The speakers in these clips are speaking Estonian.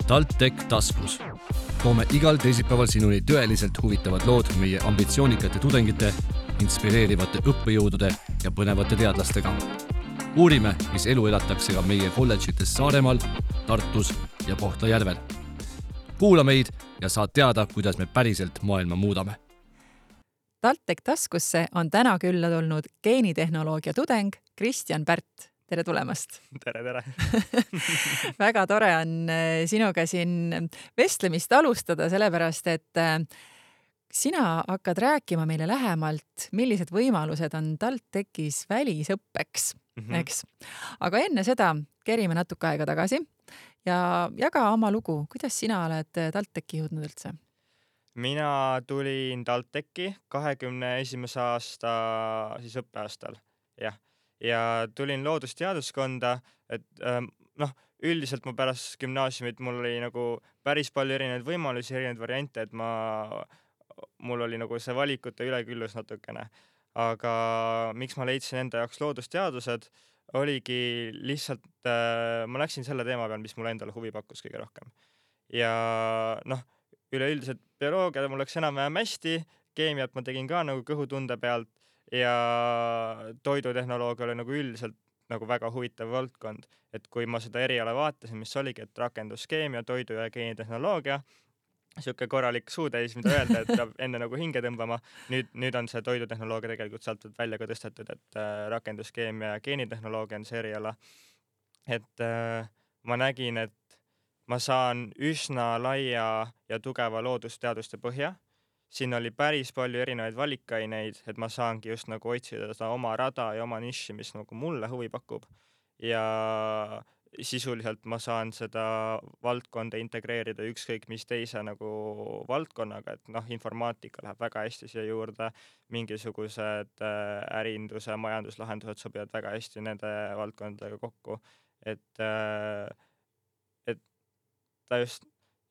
TalTech taskus. Toome igal teisipäeval sinuni tõeliselt huvitavad lood meie ambitsioonikate tudengite, inspireerivate õppejõudude ja põnevate teadlastega. Uurime, mis elu elatakse ka meie kolledžites Saaremaal, Tartus ja Kohtla-Järvel. Kuula meid ja saad teada, kuidas me päriselt maailma muudame. TalTech taskusse on täna külla tulnud geenitehnoloogia tudeng Kristjan Pärt. Tere tulemast! Tere! Väga tore on sinuga siin vestlemist alustada, sellepärast, et sina hakkad rääkima meile lähemalt, millised võimalused on TalTechis välisõppeks, eks? Aga enne seda kerime natuke aega tagasi ja jaga oma lugu. Kuidas sina oled TalTechi jõudnud üldse? Mina tulin TalTechi 21. aasta õppeaastal, jah. Ja tulin loodusteaduskonda, et üldiselt ma pärast gümnaasiumit mul oli nagu päris palju erinevaid võimalusi, erinevaid variante, et mul oli nagu see valikute üleküllus natukene. Aga miks ma leidsin enda jaoks loodusteadused, oligi lihtsalt, ma läksin selle teema peal, mis mulle endale huvi pakkus kõige rohkem. Ja üleüldiselt bioloogia mul läks enam-vähem hästi, keemiat ma tegin ka nagu kõhutunde pealt, ja toidutehnoloogia oli nagu üldiselt nagu väga huvitav valdkond, et kui ma seda eriala vaatasin, mis oligi, et rakenduskeemia, toidu- ja geenitehnoloogia, siuke korralik suutäis, mida öelda, et peab enne nagu hinge tõmbama. Nüüd on see toidutehnoloogia tegelikult sealt välja ka tõstetud, et rakenduskeemia ja geenitehnoloogia on see eriala. Et ma nägin, et ma saan üsna laia ja tugeva loodusteaduste põhja. Siin oli päris palju erinevaid valikaineid, et ma saangi just nagu otsida seda oma rada ja oma niši, mis nagu mulle huvi pakub. Ja sisuliselt ma saan seda valdkonda integreerida ükskõik mis teise nagu valdkonnaga, et informaatika läheb väga hästi siia juurde, mingisugused ärinduse ja majanduslahendused sobivad väga hästi nende valdkondadega kokku. Et ta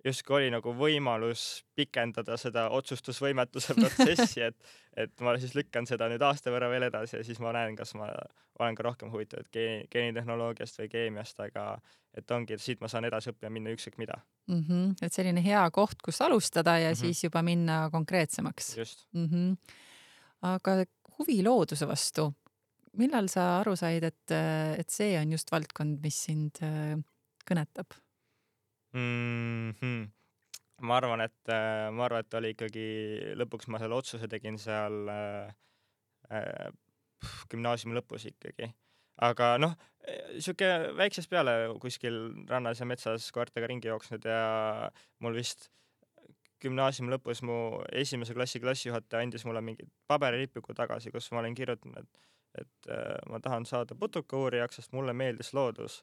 justkui oli nagu võimalus pikendada seda otsustusvõimetuse protsessi, et ma siis lükkan seda nüüd aasta võrra veel edasi ja siis ma näen, kas ma olen ka rohkem huvitatud geenitehnoloogiast või keemiast, aga et ongi, et siit ma saan edasi õppima minna ükskõik mida. Et selline hea koht, kus alustada ja siis juba minna konkreetsemaks. Just. Aga huvi looduse vastu, millal sa aru said, et see on just valdkond, mis sind kõnetab? Ma arvan, et oli ikkagi lõpuks ma selle otsuse tegin seal gümnaasiumi lõpus ikkagi. Aga siuke väiksest peale kuskil rannas ja metsas koertega ringi jooksnud ja mul vist gümnaasiumi lõpus mu esimese klassi klassijuhataja andis mulle mingi paberilipiku tagasi, kus ma olen kirjutanud, et ma tahan saada putukauurijaks, sest mulle meeldis loodus.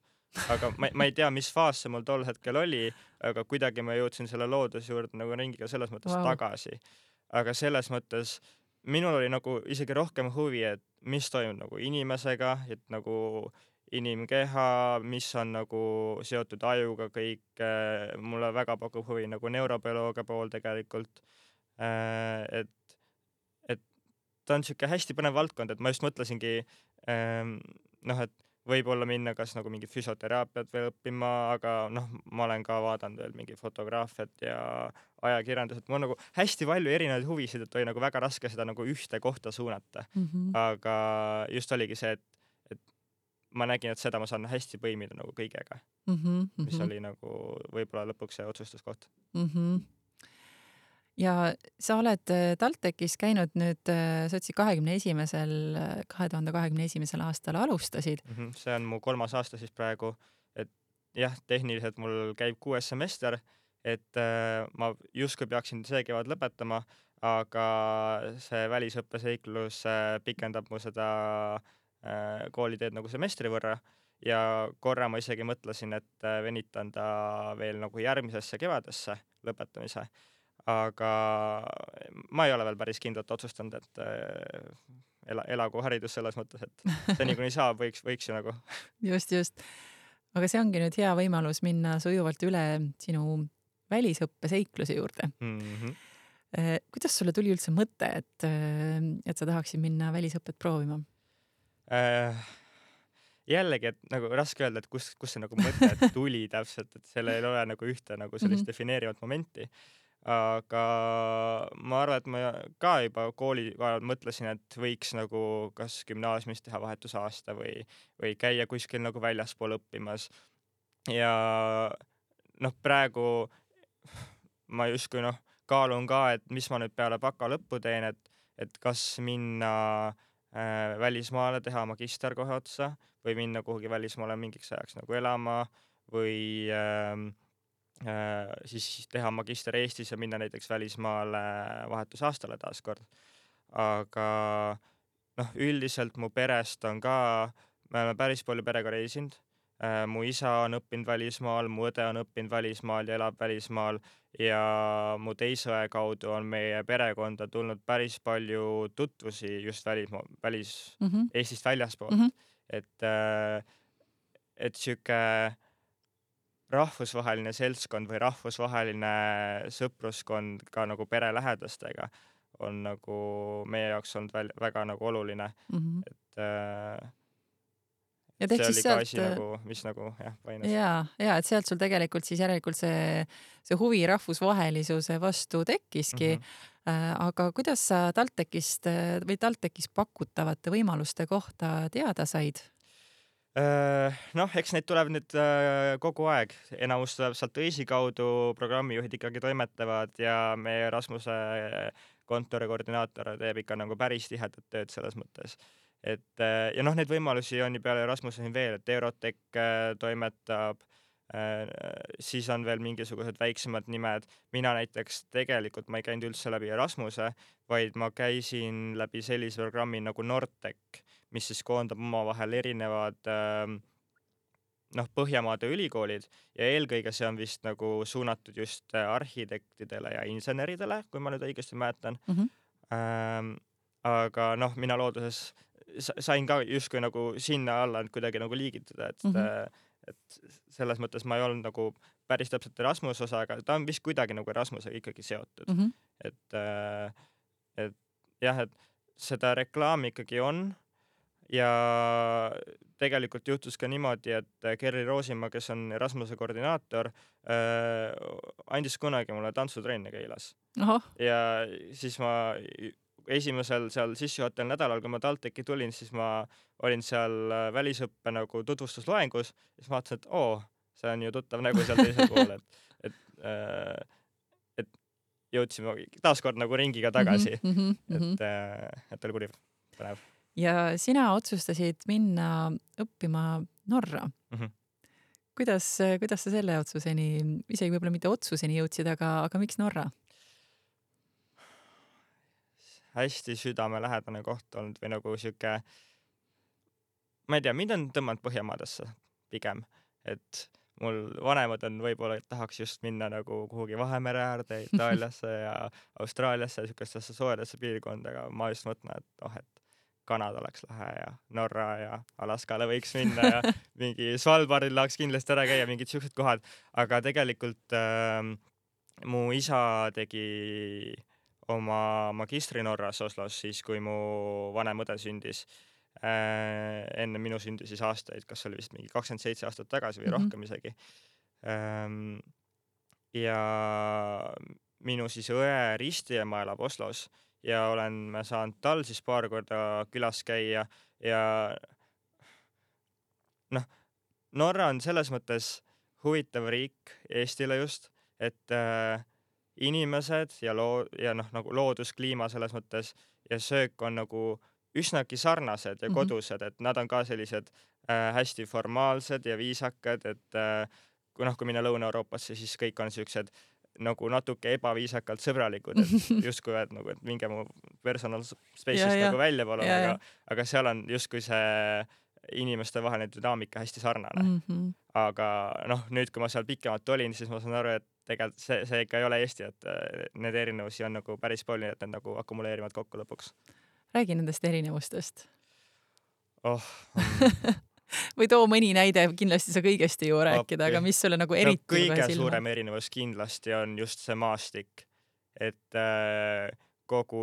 Aga ma ei tea, mis faas see mul tol hetkel oli, aga kuidagi ma jõudsin selle looduse juurde nagu ringiga selles mõttes tagasi. Aga selles mõttes minul oli nagu isegi rohkem huvi, et mis toimub nagu inimesega, et nagu inimkeha, mis on nagu seotud ajuga kõik. Mulle väga pakub huvi nagu neurobioloogia pool tegelikult. Et ta on siuke hästi põnev valdkond, et ma just mõtlesingi, et võib-olla minna kas nagu mingi füsioteraapiat veel õppima, aga ma olen ka vaadanud veel mingi fotograafiat ja ajakirjandused. Mul on nagu hästi palju erinevaid huvisid, et oli nagu väga raske seda nagu ühte kohta suunata. Aga just oligi see, et ma nägin, et seda ma saan hästi põimida nagu kõigega, mis oli nagu võib-olla lõpuks see otsustuskoht. Ja sa oled TalTechis käinud nüüd, sa otsi 2021. aastal alustasid. See on mu 3. aasta siis praegu, et jah, tehniliselt mul käib 6. semester, et ma justkui peaksin see kevad lõpetama, aga see välisõppeseiklus pikendab mu seda kooliteed nagu semestri võrra ja korra ma isegi mõtlesin, et venitan ta veel nagu järgmisesse kevadesse lõpetamise. Aga ma ei ole veel päris kindlalt otsustanud, et elagu haridus selles mõttes, et see nii saab, võiks ju nagu. Just. Aga see ongi nüüd hea võimalus minna sujuvalt üle sinu välisõppeseikluse juurde. Kuidas sulle tuli üldse mõte, et sa tahaksid minna välisõppet proovima? jällegi, et nagu raske öelda, et kus see nagu mõte tuli täpselt, et sellel ei ole nagu ühte nagu sellist defineerivat momenti. Aga ma arvan, et ma ka juba kooli ajal mõtlesin, et võiks nagu kas gümnaasiumis teha vahetusaasta või käia kuskil nagu väljaspool õppimas. Ja noh, praegu ma justkui kaalun ka, et mis ma nüüd peale baka lõppu teen, et kas minna välismaale, teha magister kohe otsa või minna kuhugi välismaale mingiks ajaks nagu elama või siis teha magister Eestis ja minna näiteks välismaale vahetusaastale taaskord. Aga üldiselt mu perest on ka, me oleme päris palju perega reisinud. Mu isa on õppinud välismaal, mu õde on õppinud välismaal ja elab välismaal ja mu teise õe kaudu on meie perekonda tulnud päris palju tutvusi just Eestist väljaspoolt. Et sihuke rahvusvaheline seltskond või rahvusvaheline sõpruskond ka nagu perelähedastega on nagu meie jaoks olnud väga nagu oluline. Ja see oli ka asi nagu, mis nagu paines. Ja, et sealt sul tegelikult siis järelikult see huvi rahvusvahelisuse vastu tekkiski. Aga kuidas sa TalTechis pakutavate võimaluste kohta teada said? Eks neid tuleb nüüd kogu aeg. Enamus tuleb sealt õisi kaudu, programmijuhid ikkagi toimetavad ja meie Erasmuse kontori koordinaator teeb ikka nagu päris tihedat tööd selles mõttes. Ja neid võimalusi on ju peale Erasmuse veel, et Eurotech toimetab, siis on veel mingisugused väiksemad nimed. Mina näiteks tegelikult ma ei käinud üldse läbi Erasmuse, vaid ma käisin läbi sellise programmi nagu Nordtech, mis siis koondab omavahel erinevad Põhjamaade ülikoolid ja eelkõige see on vist nagu suunatud just arhitektidele ja inseneridele, kui ma nüüd õigesti mäletan. Aga mina looduses sain ka justkui nagu sinna alla kuidagi nagu liigitada, et selles mõttes ma ei olnud nagu päris täpselt Erasmuse osa, aga ta on vist kuidagi nagu Erasmusega ikkagi seotud. Et jah, et seda reklaami ikkagi on ja tegelikult juhtus ka niimoodi, et Kerri Roosimaa, kes on Erasmuse koordinaator, andis kunagi mulle tantsutrenni Keilas. Ja siis ma esimesel seal sissejuhataval nädalal, kui ma TalTechi tulin, siis ma olin seal välisõppe nagu tutvustusloengus ja siis ma vaatasin, et see on ju tuttav nägu seal teisel pool, et jõudsime taaskord nagu ringiga tagasi, et oli põnev. Ja sina otsustasid minna õppima Norra. Kuidas sa selle otsuseni, isegi võib-olla mitte otsuseni jõudsid, aga miks Norra? Hästi südamelähedane koht olnud või nagu sihuke, ma ei tea, mind on tõmmanud Põhjamaadesse pigem, et mul vanemad on võib-olla, et tahaks just minna nagu kuhugi Vahemere äärde, Itaaliasse ja Austraaliasse, sihukestesse soojadesse piirkondaga. Ma just mõtlen, et Kanada oleks lahe ja Norra ja Alaskale võiks minna ja mingi Svalbardil tahaks kindlasti ära käia, mingid siuksed kohad. Aga tegelikult mu isa tegi oma magistri Norras Oslos siis, kui mu vanem õde sündis. Enne minu sündi siis aastaid, kas oli vist mingi 27 aastat tagasi või rohkem isegi. Ja minu siis õe ristiema elab Oslos ja olen saanud tal siis paar korda külas käia ja Norra on selles mõttes huvitav riik Eestile just, et inimesed ja nagu looduskliima selles mõttes ja söök on nagu üsnagi sarnased ja kodused, et nad on ka sellised hästi formaalsed ja viisakad, et kui minna Lõuna-Euroopasse, siis kõik on siuksed nagu natuke ebaviisakalt sõbralikud, et justkui nagu, et minge mu personal space'ist nagu välja palun, aga seal on justkui see inimeste vaheline dünaamika hästi sarnane. Aga nüüd, kui ma seal pikemalt olin, siis ma saan aru, et tegelikult see ikka ei ole Eesti, et need erinevusi on nagu päris palju, et need nagu akumuleerivad kokku lõpuks. Räägi nendest erinevustest. Või too mõni näide, kindlasti sa kõigest ei jõua rääkida, aga mis sulle nagu eriti kõige suurem erinevus kindlasti on just see maastik, et kogu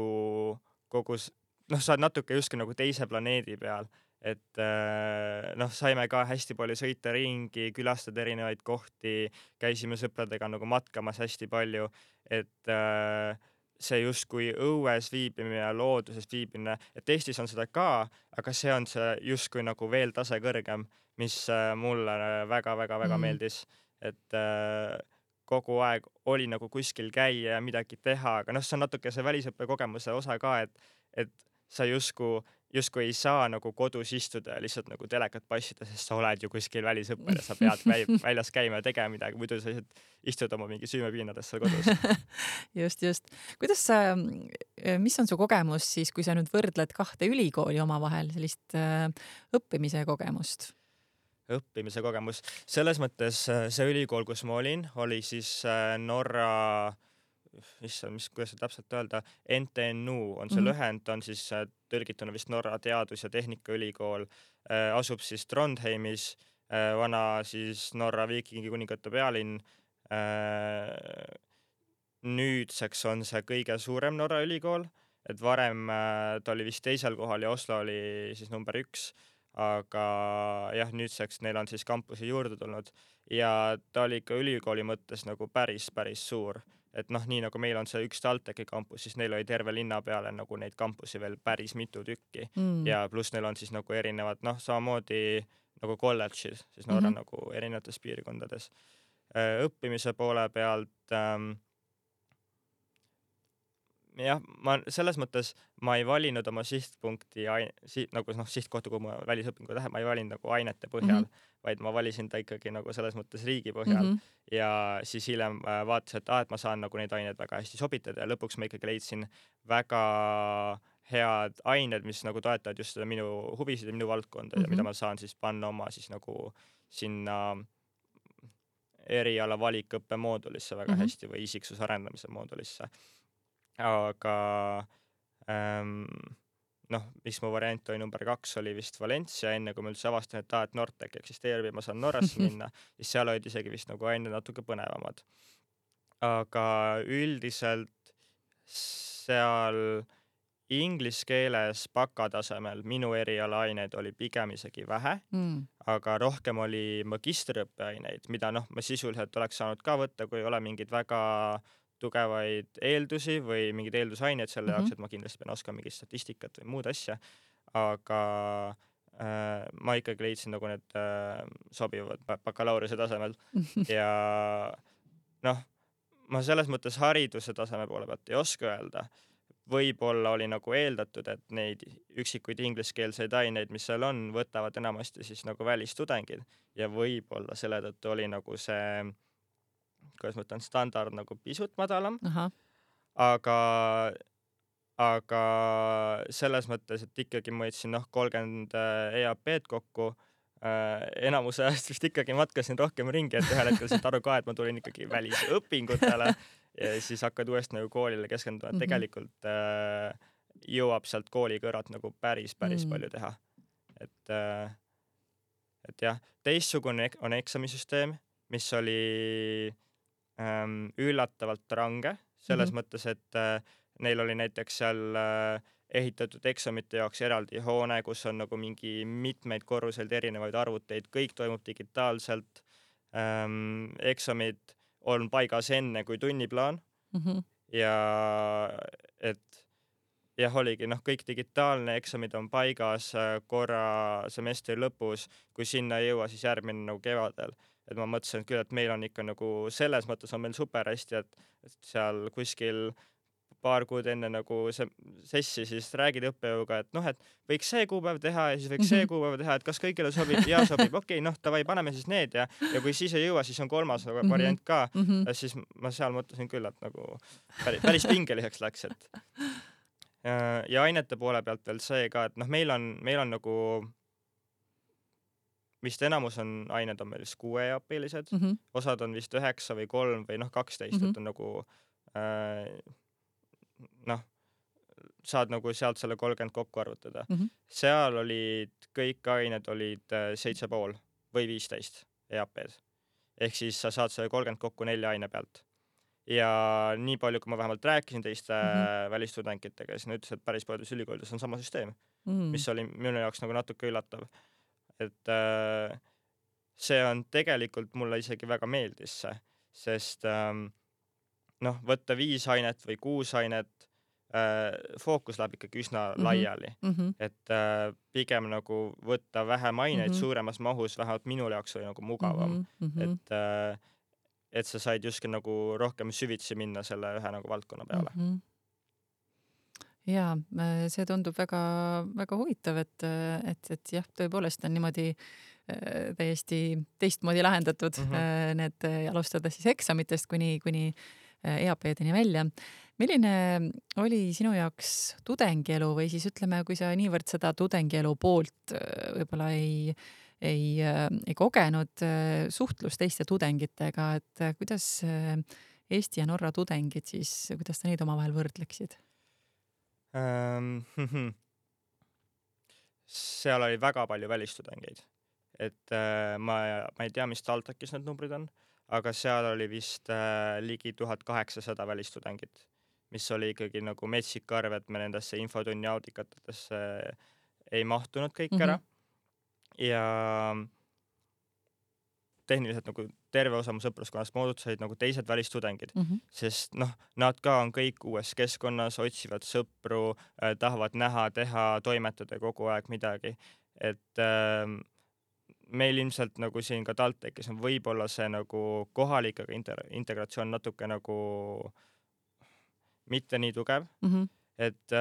sa oled natuke justkui nagu teise planeedi peal, et noh, saime ka hästi palju sõita ringi, külastada erinevaid kohti, käisime sõpradega nagu matkamas hästi palju, et see justkui õues viibimine ja looduses viibimine, et Eestis on seda ka, aga see on see justkui nagu veel tase kõrgem, mis mulle väga-väga-väga meeldis, et kogu aeg oli nagu kuskil käia ja midagi teha, aga noh, see on natuke see välisõppe kogemuse osa ka, et sa justkui ei saa nagu kodus istuda ja lihtsalt nagu telekat passida, sest sa oled ju kuskil välisõppel ja sa pead väljas käima ja tegema midagi, muidu sa lihtsalt istud oma mingi süümepiinades seal kodus. just. Kuidas sa, mis on su kogemus siis, kui sa nüüd võrdled kahte ülikooli omavahel, sellist õppimise kogemust? Õppimise kogemus. Selles mõttes see ülikool, kus ma olin, oli siis Norra, kuidas see täpselt öelda, NTNU on see lühend, on siis tõlgituna vist Norra Teadus- ja Tehnikaülikool, asub siis Trondheimis, vana siis Norra Viikingi kuningate pealinn. Nüüdseks on see kõige suurem Norra ülikool, et varem ta oli vist teisel kohal ja Oslo oli siis number 1. Aga jah, nüüdseks neil on siis kampusi juurde tulnud ja ta oli ikka ülikooli mõttes nagu päris suur. Et noh, nii nagu meil on see üks TalTechi kampus, siis neil oli terve linna peale nagu neid kampusi veel päris mitu tükki ja pluss neil on siis nagu erinevad, noh, samamoodi nagu kolledžid, siis Norra nagu erinevates piirkondades. Õppimise poole pealt jah, ma selles mõttes ma ei valinud oma sihtpunkti nagu sihtkohta, kui ma välisõpingu tahan, ma ei valinud nagu ainete põhjal, vaid ma valisin ta ikkagi nagu selles mõttes riigi põhjal ja siis hiljem vaatasin, et ma saan nagu neid aineid väga hästi sobitada ja lõpuks ma ikkagi leidsin väga head ained, mis nagu toetavad just seda minu huvisid ja minu valdkonda ja mida ma saan siis panna oma siis nagu sinna eriala valikõppe moodulisse väga hästi või isiksuse arendamise moodulisse. Aga noh, mis mu variant oli number 2 oli vist Valencia, enne kui ma üldse avastan, et Nortec eksisteerib ja ma saan Norrasse minna, siis seal olid isegi vist nagu ained natuke põnevamad. Aga üldiselt seal inglise keeles bakatasemel minu erialaaineid oli pigem isegi vähe, aga rohkem oli magistriõppeaineid, mida noh, ma sisuliselt oleks saanud ka võtta, kui ei ole mingid väga tugevaid eeldusi või mingid eeldusaineid selle jaoks, et ma kindlasti pean oskama mingit statistikat või muud asja, aga ma ikkagi leidsin nagu need sobivad bakalaureuse tasemel ja noh, ma selles mõttes hariduse taseme poole pealt ei oska öelda. Võib-olla oli nagu eeldatud, et neid üksikuid ingliskeelseid aineid, mis seal on, võtavad enamasti siis nagu välistudengid ja võib-olla selle tõttu oli nagu see kuidas ma ütlen, standard nagu pisut madalam, aga selles mõttes, et ikkagi ma võtsin 30 EAP-d kokku, enamuse ajast vist ikkagi matkasin rohkem ringi, et ühel hetkel saad aru ka, et ma tulin ikkagi välisõpingutele ja siis hakkad uuesti nagu koolile keskenduma, et tegelikult jõuab sealt kooli kõrvalt nagu päris palju teha. Et jah, teistsugune on eksamisüsteem, mis oli üllatavalt range, selles mõttes, et neil oli näiteks seal ehitatud eksamite jaoks eraldi hoone, kus on nagu mingi mitmeid korruseid erinevaid arvuteid, kõik toimub digitaalselt, eksamid on paigas enne kui tunniplaan ja et jah, oligi kõik digitaalne, eksamid on paigas korra semestri lõpus, kui sinna ei jõua, siis järgmine nagu kevadel. Et ma mõtlesin küll, et meil on ikka nagu selles mõttes on meil super hästi, et seal kuskil paar kuud enne nagu sessi siis räägid õppejõuga, et noh, et võiks see kuupäev teha ja siis võiks see kuupäev teha, et kas kõigile sobib ja sobib, okei, davai, paneme siis need ja kui siis ei jõua, siis on kolmas variant ka. Siis ma seal mõtlesin küll, et nagu päris pingeliseks läks, et ja ainete poole pealt veel see ka, et noh, meil on nagu vist enamus on ained on meil vist 6 EAP-lised, osad on vist 9 või 3 või 12, et on nagu saad nagu sealt selle 30 kokku arvutada. Seal olid kõik ained olid 7,5 või 15 EAP-d. Ehk siis sa saad selle 30 kokku 4 aine pealt. ja nii palju, kui ma vähemalt rääkisin teiste Mhm. välistudengitega, siis nad ütlesid, et päris paljudes ülikoolides on sama süsteem, Mm. mis oli minu jaoks nagu natuke üllatav. Et see on tegelikult mulle isegi väga meeldis see, sest noh, võtta 5 ainet või 6 ainet, fookus läheb ikkagi üsna laiali. Mhm. Et pigem nagu võtta vähem aineid Mhm. suuremas mahus, vähemalt minul jaoks oli nagu mugavam. Mhm. Et sa said justkui nagu rohkem süvitsi minna selle ühe nagu valdkonna peale. Mhm. Jaa, see tundub väga, väga huvitav, et jah, tõepoolest on niimoodi täiesti teistmoodi lahendatud need alustada siis eksamitest kuni EAP-deni välja. Milline oli sinu jaoks tudengielu või siis ütleme, kui sa niivõrd seda tudengielu poolt võib-olla ei kogenud suhtlus teiste tudengitega, et kuidas Eesti ja Norra tudengid siis, kuidas sa neid omavahel võrdleksid? Seal oli väga palju välistudengeid. Et ma ei tea, mis TalTechis need numbrid on, aga seal oli vist ligi 1800 välistudengit, mis oli ikkagi nagu metsik arv, et me nendesse infotunni audikatesse ei mahtunud kõik ära. Ja tehniliselt nagu terve osa mu sõpruskonnast moodustasid nagu teised välistudengid, sest noh, nad ka on kõik uues keskkonnas, otsivad sõpru, tahavad näha, teha, toimetada kogu aeg midagi. Et meil ilmselt nagu siin ka TalTechis on võib-olla see nagu kohalikega integratsioon natuke nagu mitte nii tugev. Et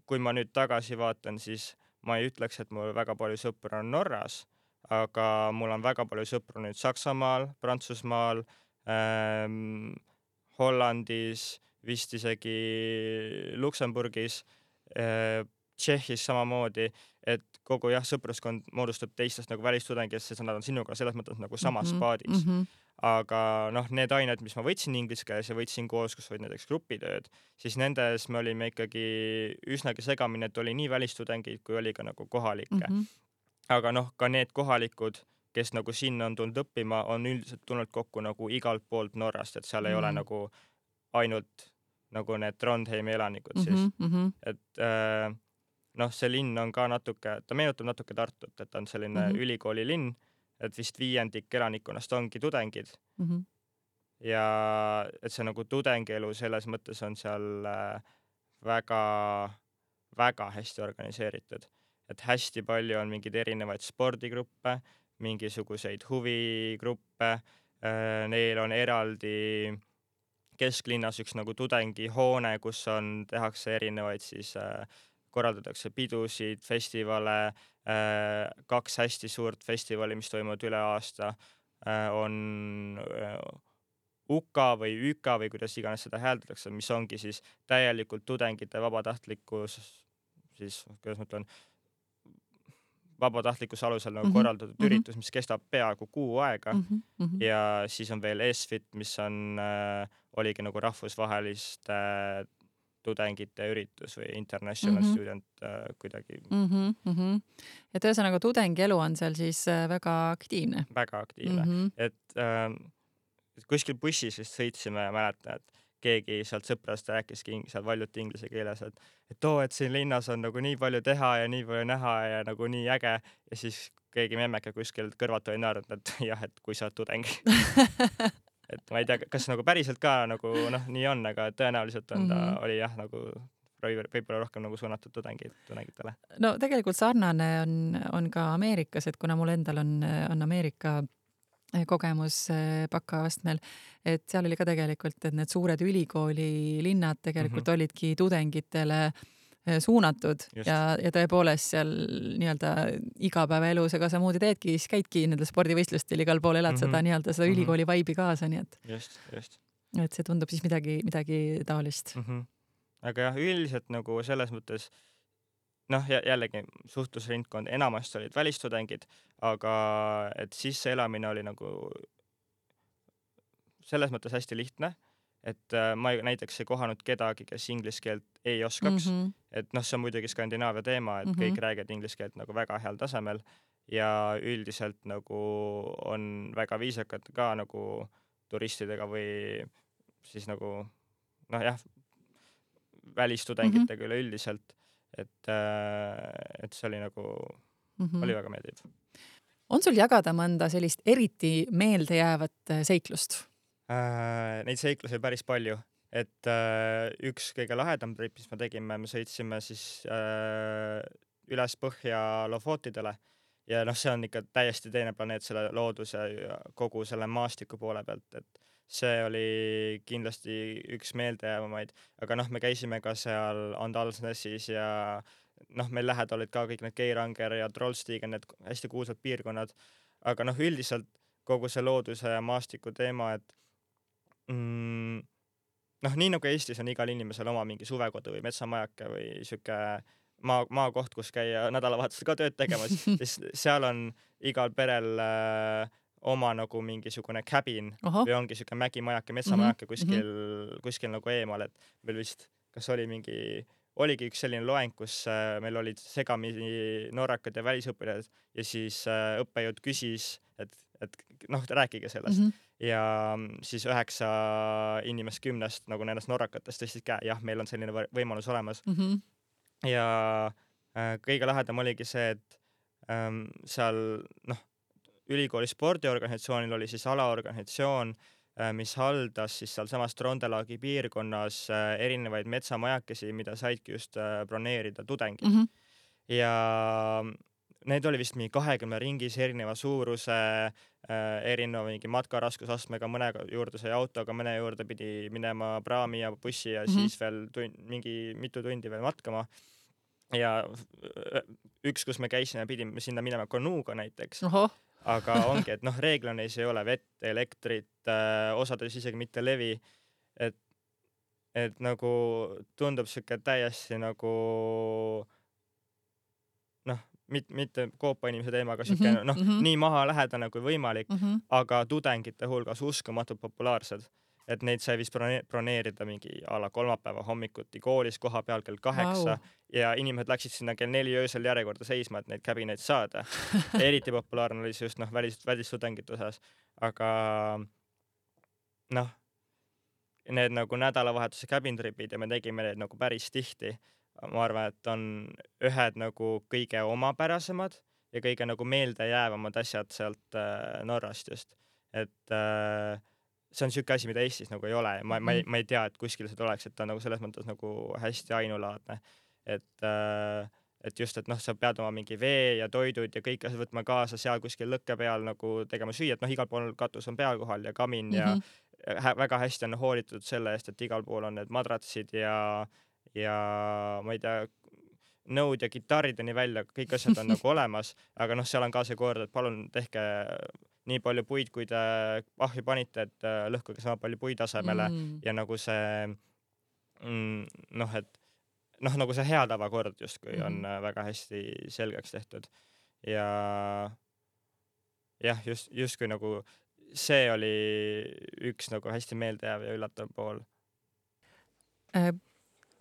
kui ma nüüd tagasi vaatan, siis ma ei ütleks, et mul väga palju sõpru on Norras, aga mul on väga palju sõpru nüüd Saksamaal, Prantsusmaal, Hollandis, vist isegi Luksemburgis, Tšehhis samamoodi, et kogu sõpruskond moodustub teistest nagu välistudengist, sest nad on sinuga selles mõttes nagu samas paadis. Aga noh, need ained, mis ma võtsin inglise keeles ja võtsin koos, kus olid näiteks grupitööd, siis nendes me olime ikkagi üsnagi segamini, et oli nii välistudengid, kui oli ka nagu kohalikke. Aga noh, ka need kohalikud, kes nagu sinna on tulnud õppima, on üldiselt tulnud kokku nagu igalt poolt Norrast, et seal ei ole nagu ainult nagu need Trondheimi elanikud siis. Et noh, see linn on ka natuke, ta meenutab natuke Tartut, et ta on selline ülikooli linn, et vist 5% elanikkonnast ongi tudengid. Ja et see nagu tudengielu selles mõttes on seal väga, väga hästi organiseeritud. Et hästi palju on mingeid erinevaid spordigruppe, mingisuguseid huvigruppe, neil on eraldi kesklinnas üks nagu tudengihoone, kus tehakse erinevaid siis, korraldatakse pidusid, festivale, 2 hästi suurt festivali, mis toimuvad üle aasta, on UKA või ÜKA või kuidas iganes seda hääldatakse, mis ongi siis täielikult tudengite vabatahtlikkus, siis kuidas ma ütlen, vabatahtlikkuse alusel nagu korraldatud üritus, mis kestab peaaegu kuu aega. Ja siis on veel ESFIT, mis oligi nagu rahvusvaheliste tudengite üritus või international student kuidagi. Et ühesõnaga tudengielu on seal siis väga aktiivne. Väga aktiivne. Et kuskil bussis vist sõitsime ja mäletan, et keegi sealt sõprast rääkiski seal valjuti inglise keeles, et siin linnas on nagu nii palju teha ja nii palju näha ja nagu nii äge. Ja siis keegi memmeke kuskil kõrvalt oli naernud, et jah, et kui sa oled tudeng. Et ma ei tea, kas nagu päriselt ka nagu noh, nii on, aga tõenäoliselt on ta oli jah, nagu võib-olla rohkem nagu suunatud tudengitele. No tegelikult sarnane on ka Ameerikas, et kuna mul endal on Ameerika kogemus bakaastmel, et seal oli ka tegelikult, et need suured ülikooli linnad tegelikult olidki tudengitele suunatud. Ja tõepoolest seal nii-öelda igapäevaelus, aga samamoodi teedki, siis käidki nendel spordivõistlustel igal pool, elad seda nii-öelda seda ülikooli vaibi kaasa, nii et et see tundub siis midagi taolist. Aga jah, üldiselt nagu selles mõttes noh, jällegi suhtlusringkond enamasti olid välistudengid, aga et sisseelamine oli nagu selles mõttes hästi lihtne, et ma näiteks ei kohanud kedagi, kes inglise keelt ei oskaks, et noh, see on muidugi Skandinaavia teema, et kõik räägivad inglise keelt nagu väga heal tasemel ja üldiselt nagu on väga viisakad ka nagu turistidega või siis nagu noh jah, välistudengitega üleüldiselt, et see oli nagu, oli väga meeldiv. On sul jagada mõnda sellist eriti meeldejäävat seiklust? Neid seiklusi päris palju, et üks kõige lahedam trip, mis me tegime, me sõitsime siis üles põhja Lofotidele ja noh, see on ikka täiesti teine planeet selle looduse ja kogu selle maastiku poole pealt, et see oli kindlasti üks meeldejäävamaid, aga noh, me käisime ka seal Andalsnesis ja noh, meil lähedal olid ka kõik need Geiranger ja Trollstigen, need hästi kuulsad piirkonnad, aga noh, üldiselt kogu see looduse ja maastiku teema, et noh, nii nagu Eestis on igal inimesel oma mingi suvekodu või metsamajake või siuke maakoht, kus käia nädalavahetusel ka tööd tegemas, siis seal on igal perel oma nagu mingisugune cabin või ongi siuke mägimajake, metsamajake kuskil nagu eemal, et meil vist, kas oligi üks selline loeng, kus meil olid segamini norrakad ja välisõpilased ja siis õppejõud küsis, et noh, rääkige sellest. Ja siis 9 inimest 10 nagu nendest norrakatest tõstsid käe, jah, meil on selline võimalus olemas. Ja kõige lahedam oligi see, et seal noh, ülikooli spordiorganisatsioonil oli siis alaorganisatsioon, mis haldas siis seal samas Trondelaagi piirkonnas erinevaid metsamajakesi, mida saidki just broneerida tudengid. Ja need oli vist mingi 20 ringis erineva suuruse, erineva mingi matkaraskusastmega, mõne juurde sai autoga, mõne juurde pidi minema praami ja bussi ja siis veel mingi mitu tundi veel matkama. Ja üks, kus me käisime, pidime sinna minema kanuuga näiteks. Aga ongi, et noh, reeglaneis ei ole vett, elektrit, osades isegi mitte levi, et nagu tundub siuke täiesti nagu noh, mitte koopa inimese teema, aga siuke nii maha lähedane kui võimalik, aga tudengite hulgas uskumatult populaarsed. Et neid sai vist broneerida mingi ala kolmapäeva hommikuti koolis koha peal kell 8 ja inimesed läksid sinna kell 4 öösel järjekorda seisma, et neid cabineid saada. Eriti populaarne oli see just noh, välistudengite osas, aga noh, need nagu nädalavahetuse cabin tripid ja me tegime neid nagu päris tihti. Ma arvan, et on ühed nagu kõige omapärasemad ja kõige nagu meeldejäävamad asjad sealt Norrast just, et see on siuke asi, mida Eestis nagu ei ole. Ma ei tea, et kuskil seda oleks, et ta nagu selles mõttes nagu hästi ainulaadne. Et just, et noh, sa pead oma mingi vee ja toidud ja kõik asjad võtma kaasa seal kuskil lõkke peal nagu tegema süüa, et noh, igal pool katus on peal kohal ja kamin ja väga hästi on hoolitud selle eest, et igal pool on need madratsid ja ma ei tea, nõud ja kitarrideni välja, kõik asjad on nagu olemas, aga noh, seal on ka see kord, et palun tehke nii palju puid, kui te ahju panite, et lõhkuge sama palju puid asemele ja nagu see noh, et noh, nagu see hea tavakord justkui on väga hästi selgeks tehtud ja jah, justkui nagu see oli üks nagu hästi meeldejääv ja üllatav pool.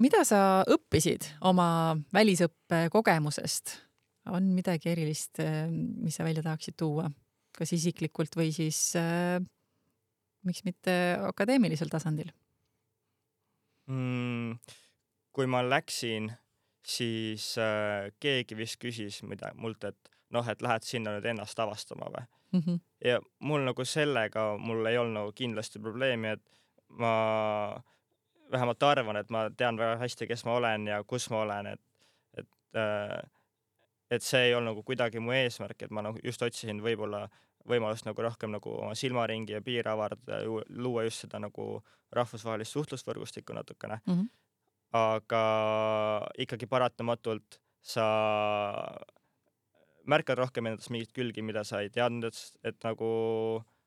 Mida sa õppisid oma välisõppe kogemusest? On midagi erilist, mis sa välja tahaksid tuua? Kas isiklikult või siis miks mitte akadeemilisel tasandil? Kui ma läksin, siis keegi vist küsis mult, et noh, et lähed sinna nüüd ennast avastama või? Ja mul nagu sellega mul ei olnud nagu kindlasti probleemi, et ma vähemalt arvan, et ma tean väga hästi, kes ma olen ja kus ma olen, et see ei olnud nagu kuidagi mu eesmärk, et ma nagu just otsisin võib-olla võimalust nagu rohkem nagu oma silmaringi ja piir avardada, luua just seda nagu rahvusvahelist suhtlusvõrgustikku natukene. Aga ikkagi paratamatult sa märkad rohkem endast mingit külgi, mida sa ei teadnud, et nagu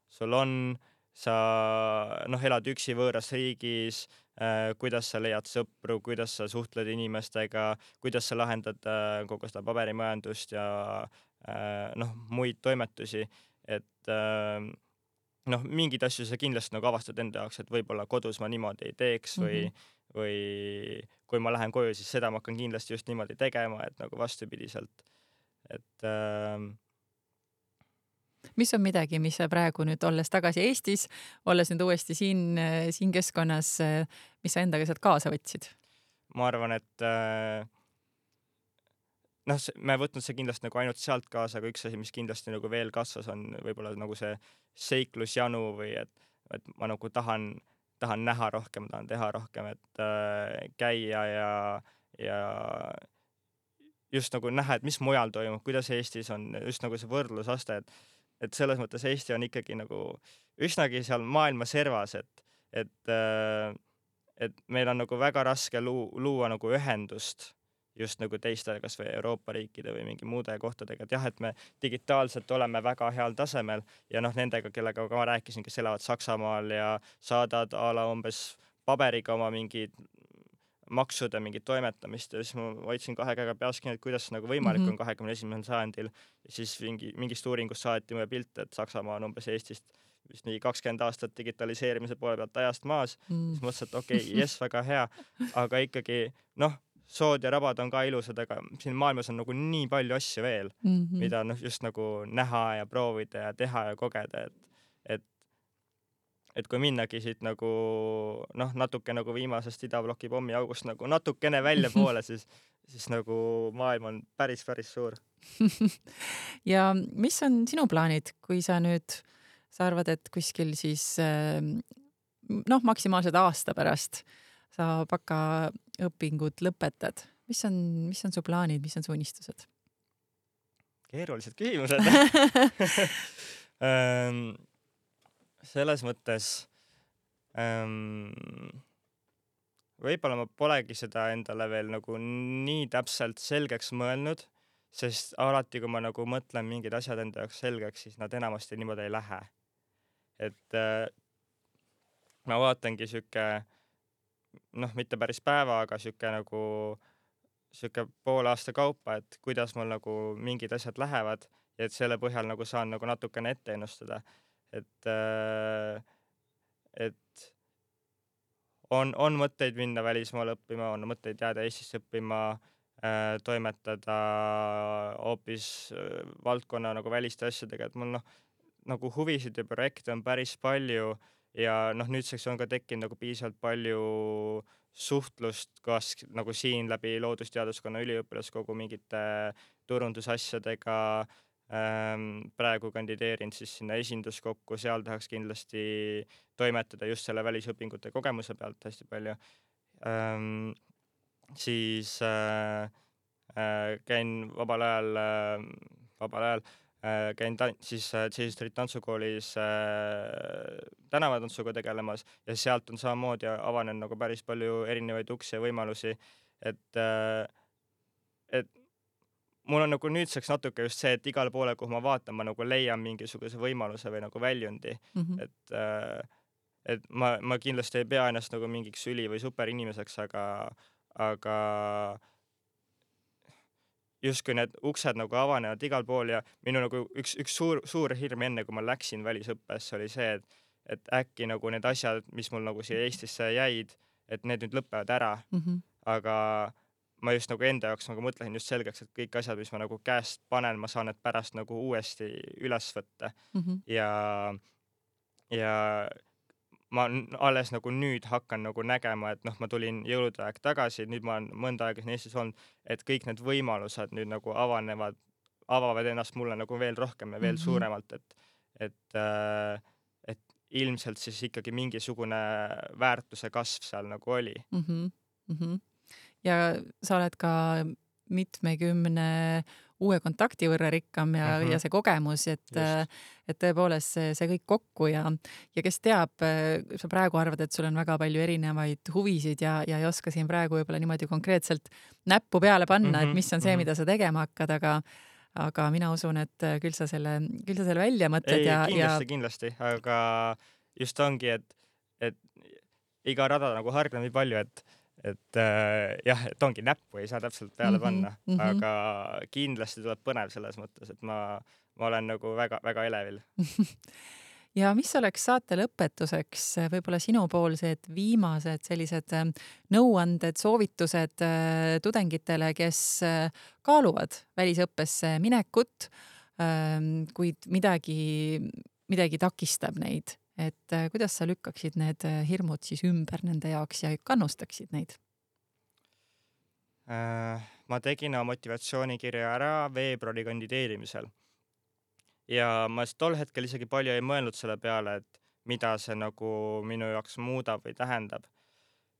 sul on, sa noh, elad üksi võõras riigis, kuidas sa leiad sõpru, kuidas sa suhtled inimestega, kuidas sa lahendad kogu seda paberimajandust ja noh, muid toimetusi, et noh, mingid asju sa kindlasti nagu avastad enda jaoks, et võib-olla kodus ma niimoodi ei teeks või kui ma lähen koju, siis seda ma hakkan kindlasti just niimoodi tegema, et nagu vastupidiselt, et Mis on midagi, mis sa praegu nüüd olles tagasi Eestis, olles nüüd uuesti siin keskkonnas, mis sa endaga sealt kaasa võtsid? Ma arvan, et me võtnud see kindlasti nagu ainult sealt kaasa, aga üks asi, mis kindlasti nagu veel kasvas, on võib-olla nagu see seiklusjanu või et ma nagu tahan näha rohkem, tahan teha rohkem, et käia ja just nagu näha, et mis mujal toimub, kuidas Eestis on, just nagu see võrdlusaste, et selles mõttes Eesti on ikkagi nagu üsnagi seal maailma servas, et meil on nagu väga raske luua nagu ühendust just nagu teiste, kas või Euroopa riikide või mingi muude kohtadega, et jah, et me digitaalselt oleme väga heal tasemel ja nendega, kellega ma rääkisin, kes elavad Saksamaal ja saadad a la umbes paberiga oma mingid maksude mingit toimetamist ja siis ma hoidsin 2 käega peas kinni, et kuidas nagu võimalik on 21. sajandil ja siis mingist uuringust saati mulle pilt, et Saksamaa on umbes Eestist vist nii 20 aastat digitaliseerimise poole pealt ajast maas, siis mõtlesin, et okei, jess, väga hea, aga ikkagi sood ja rabad on ka ilusad, aga siin maailmas on nagu nii palju asju veel, mida just nagu näha ja proovida ja teha ja kogeda, et kui minnagi siit nagu natuke nagu viimasest idabloki pommiaugust nagu natukene välja poole, siis nagu maailm on päris suur. Ja mis on sinu plaanid, kui sa arvad, et kuskil siis maksimaalselt aasta pärast sa bakaõpingud lõpetad? Mis on su plaanid, mis on su unistused? Keerulised küsimused. Selles mõttes võib-olla ma polegi seda endale veel nagu nii täpselt selgeks mõelnud, sest alati, kui ma nagu mõtlen mingid asjad enda jaoks selgeks, siis nad enamasti niimoodi ei lähe. Et ma vaatangi mitte päris päeva, aga siuke poole aasta kaupa, et kuidas mul nagu mingid asjad lähevad ja et selle põhjal nagu saan nagu natukene ette ennustada. Et on mõtteid minna välismaale õppima, on mõtteid jääda Eestisse õppima, toimetada hoopis valdkonna nagu väliste asjadega, et mul nagu huvisid ja projekte on päris palju ja nüüdseks on ka tekkinud nagu piisavalt palju suhtlust kas nagu siin läbi loodusteaduskonna üliõpilaskogu mingite turundusasjadega. Praegu kandideerin siis sinna esinduskokku, seal tahaks kindlasti toimetada just selle välisõpingute kogemuse pealt hästi palju. Siis käin vabal ajal käin Street tantsukoolis tänavatantsuga tegelemas ja sealt on samamoodi avanenud nagu päris palju erinevaid uksi ja võimalusi, et mul on nagu nüüdseks natuke just see, et igale poole, kuhu ma vaatan, ma nagu leian mingisuguse võimaluse või nagu väljundi. Et ma kindlasti ei pea ennast nagu mingiks üli- või superinimeseks, aga justkui need uksed nagu avanevad igal pool ja minu nagu üks suur hirm enne, kui ma läksin välisõppesse, oli see, et äkki nagu need asjad, mis mul nagu siia Eestisse jäid, et need nüüd lõpevad ära. Aga ma just nagu enda jaoks nagu mõtlesin just selgeks, et kõik asjad, mis ma nagu käest panen, ma saan need pärast nagu uuesti üles võtta. Ja ma alles nagu nüüd hakkan nagu nägema, et ma tulin jõulude aeg tagasi, nüüd ma olen mõnda aega siin Eestis olnud, et kõik need võimalused nüüd nagu avavad ennast mulle nagu veel rohkem ja veel suuremalt, et ilmselt siis ikkagi mingisugune väärtuse kasv seal nagu oli. Ja sa oled ka mitmekümne uue kontakti võrra rikkam ja see kogemus, et tõepoolest see kõik kokku ja kes teab, sa praegu arvad, et sul on väga palju erinevaid huvisid ja ei oska siin praegu võib-olla niimoodi konkreetselt näppu peale panna, et mis on see, mida sa tegema hakkad, aga mina usun, et küll sa selle välja mõtled. Kindlasti, aga just ongi, et iga rada nagu hargneb nii palju, et ongi näppu ei saa täpselt peale panna, aga kindlasti tuleb põnev selles mõttes, et ma olen nagu väga elevil. Ja mis oleks saate lõpetuseks võib-olla sinupoolsed viimased sellised nõuanded, soovitused tudengitele, kes kaaluvad välisõppesse minekut, kuid midagi takistab neid, et kuidas sa lükkaksid need hirmud siis ümber nende jaoks ja kannustaksid neid? Ma tegin oma motivatsioonikirja ära veebruari kandideerimisel ja ma tol hetkel isegi palju ei mõelnud selle peale, et mida see nagu minu jaoks muudab või tähendab.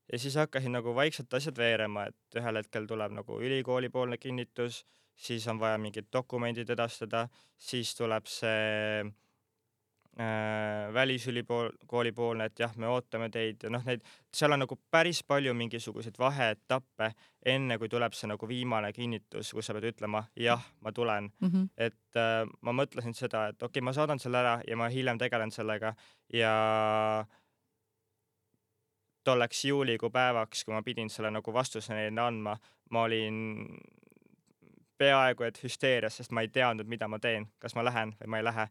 Ja siis hakkasin nagu vaikselt asjad veerema, et ühel hetkel tuleb nagu ülikooli poolne kinnitus, siis on vaja mingid dokumendid edastada, siis tuleb see välisülikooli poolne, et jah, me ootame teid ja noh, seal on nagu päris palju mingisuguseid vaheetappe, enne kui tuleb see nagu viimane kinnitus, kus sa pead ütlema, jah, ma tulen. Et ma mõtlesin seda, et okei, ma saadan selle ära ja ma hiljem tegelen sellega ja tolleks juulikuu päevaks, kui ma pidin selle nagu vastuse neile andma, ma olin peaaegu et hüsteerias, sest ma ei teadnud, mida ma teen, kas ma lähen või ma ei lähe.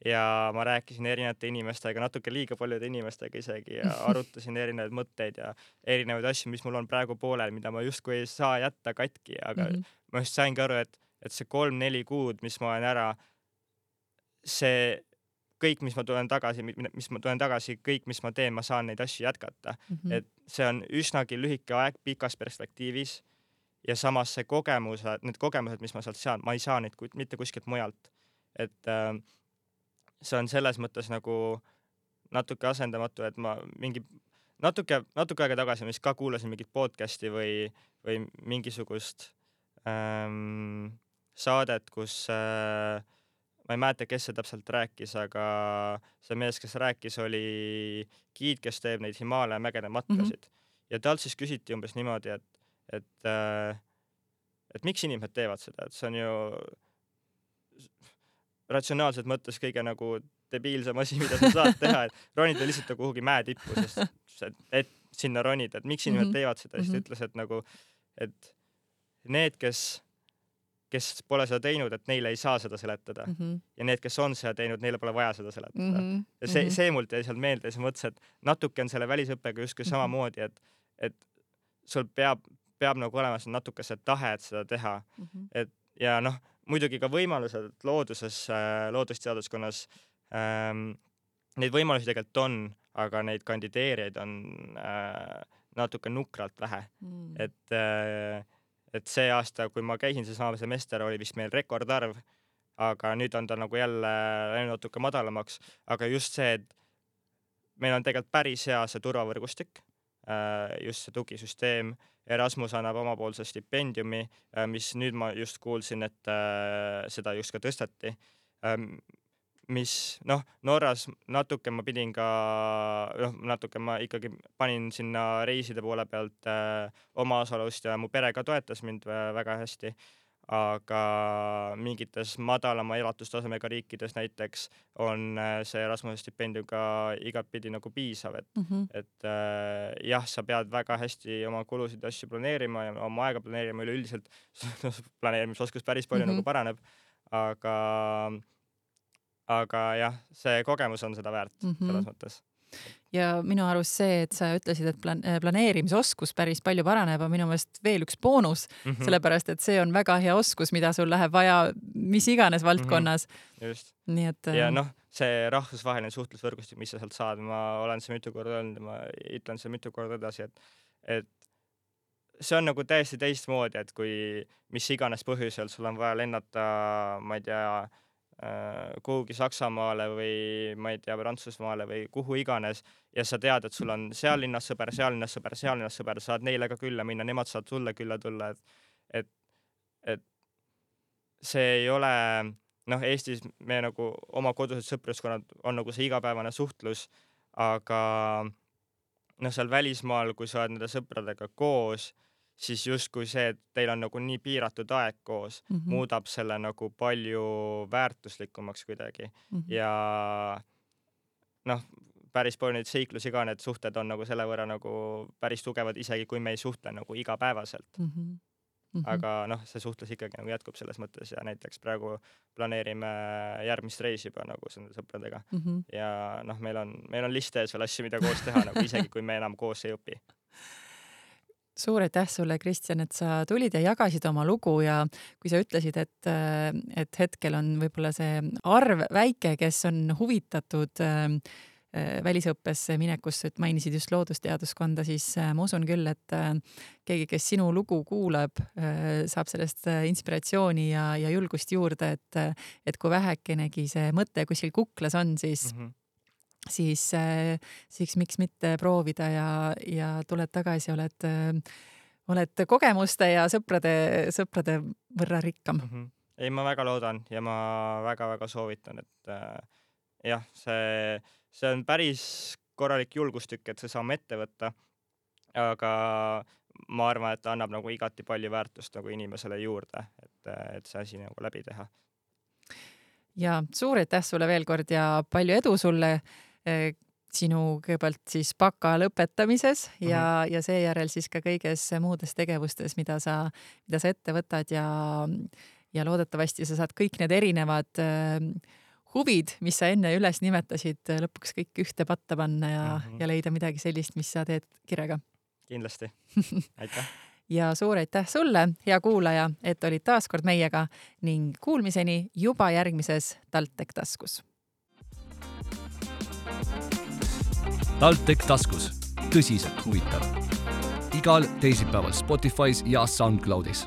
Ja ma rääkisin erinevate inimestega, natuke liiga paljude inimestega isegi ja arutasin erinevaid mõtteid ja erinevaid asju, mis mul on praegu poolel, mida ma justkui ei saa jätta katki, aga ma just saingi aru, et see 3-4 kuud, mis ma olen ära, see kõik, mis ma tulen tagasi, kõik, mis ma teen, ma saan neid asju jätkata. Et see on üsnagi lühike aeg pikas perspektiivis ja samas need kogemused, mis ma sealt saan, ma ei saa neid mitte kuskilt mujalt. Et see on selles mõttes nagu natuke asendamatu, et ma natuke aega tagasi ma vist ka kuulasin mingit podcasti või mingisugust saadet, kus ma ei mäleta, kes see täpselt rääkis, aga see mees, kes rääkis, oli giid, kes teeb neid Himaalaja mägede matkasid. Ja talt siis küsiti umbes niimoodi, et miks inimesed teevad seda, et see on ju ratsionaalselt mõttes kõige nagu debiilsem asi, mida sa saad teha, et ronida lihtsalt kuhugi mäe tippu, sest et sinna ronida, et miks inimesed teevad seda, siis ta ütles, et nagu, et need, kes pole seda teinud, et neile ei saa seda seletada ja need, kes on seda teinud, neile pole vaja seda seletada. Ja see mult jäi seal meelde ja siis mõtlesin, et natuke on selle välisõppega justkui samamoodi, et sul peab nagu olema natuke see tahe, et seda teha. Et ja noh, muidugi ka võimalused loodusteaduskonnas, neid võimalusi tegelikult on, aga neid kandideerijaid on natuke nukralt vähe. Et see aasta, kui ma käisin seesama semester, oli vist meil rekordarv, aga nüüd on ta nagu jälle läinud natuke madalamaks, aga just see, et meil on tegelikult päris hea see turvavõrgustik, just see tugisüsteem. Erasmus annab omapoolse stipendiumi, mis nüüd ma just kuulsin, et seda just ka tõsteti, mis Norras natuke ma pidin ka, natuke ma ikkagi panin sinna reiside poole pealt oma osalust ja mu pere ka toetas mind väga hästi, aga mingites madalama elatustasemega riikides näiteks on see Erasmuse stipendium ka igatpidi nagu piisav, et jah, sa pead väga hästi oma kulusid asju planeerima ja oma aega planeerima, üleüldiselt planeerimisoskus päris palju nagu paraneb, aga jah, see kogemus on seda väärt selles mõttes. Ja minu arust see, et sa ütlesid, et planeerimisoskus päris palju paraneb, on minu meelest veel üks boonus, sellepärast, et see on väga hea oskus, mida sul läheb vaja mis iganes valdkonnas. Just. Nii et ja see rahvusvaheline suhtlusvõrgustik, mis sa sealt saad, ma olen see mitu korda öelnud ja ma ütlen see mitu korda edasi, et see on nagu täiesti teistmoodi, et kui mis iganes põhjusel sul on vaja lennata, ma ei tea, kuhugi Saksamaale või ma ei tea, Prantsusmaale või kuhu iganes ja sa tead, et sul on seal linnas sõber, seal linnas sõber, seal linnas sõber, saad neile ka külla minna, nemad saad sulle külla tulla, et see ei ole, Eestis me nagu oma kodused sõpruskonnad on nagu see igapäevane suhtlus, aga seal välismaal, kui sa oled nende sõpradega koos, siis justkui see, et teil on nagu nii piiratud aeg koos, muudab selle nagu palju väärtuslikumaks kuidagi. Ja päris palju neid seiklusi ka, need suhted on nagu selle võrra nagu päris tugevad, isegi kui me ei suhtle nagu igapäevaselt. Aga see suhtlus ikkagi nagu jätkub selles mõttes ja näiteks praegu planeerime järgmist reisi juba nagu selle sõpradega. Ja meil on liste ees veel asju, mida koos teha, nagu isegi kui me enam koos ei õpi. suur aitäh sulle, Kristjan, et sa tulid ja jagasid oma lugu ja kui sa ütlesid, et hetkel on võib-olla see arv väike, kes on huvitatud välisõppesse minekust, et mainisid just loodusteaduskonda, siis ma usun küll, et keegi, kes sinu lugu kuulab, saab sellest inspiratsiooni ja julgust juurde, et kui vähekenegi see mõte kuskil kuklas on, siis miks mitte proovida ja tuled tagasi, oled kogemuste ja sõprade võrra rikkam. Ei, ma väga loodan ja ma väga-väga soovitan, et jah, see on päris korralik julgustükk, et see saame ette võtta, aga ma arvan, et ta annab nagu igati palju väärtust nagu inimesele juurde, et see asi nagu läbi teha. Ja suur aitäh sulle veel kord ja palju edu sulle sinu kõigepealt siis baka lõpetamises ja seejärel siis ka kõiges muudes tegevustes, mida sa ette võtad ja loodetavasti sa saad kõik need erinevad huvid, mis sa enne üles nimetasid, lõpuks kõik ühte patta panna ja leida midagi sellist, mis sa teed kirega. Kindlasti. Aitäh. Ja suur aitäh sulle, hea kuulaja, et olid taas kord meiega ning kuulmiseni juba järgmises TalTech taskus. TalTech taskus. Tõsiselt huvitav. Igal teisipäeval Spotify's ja SoundCloudis.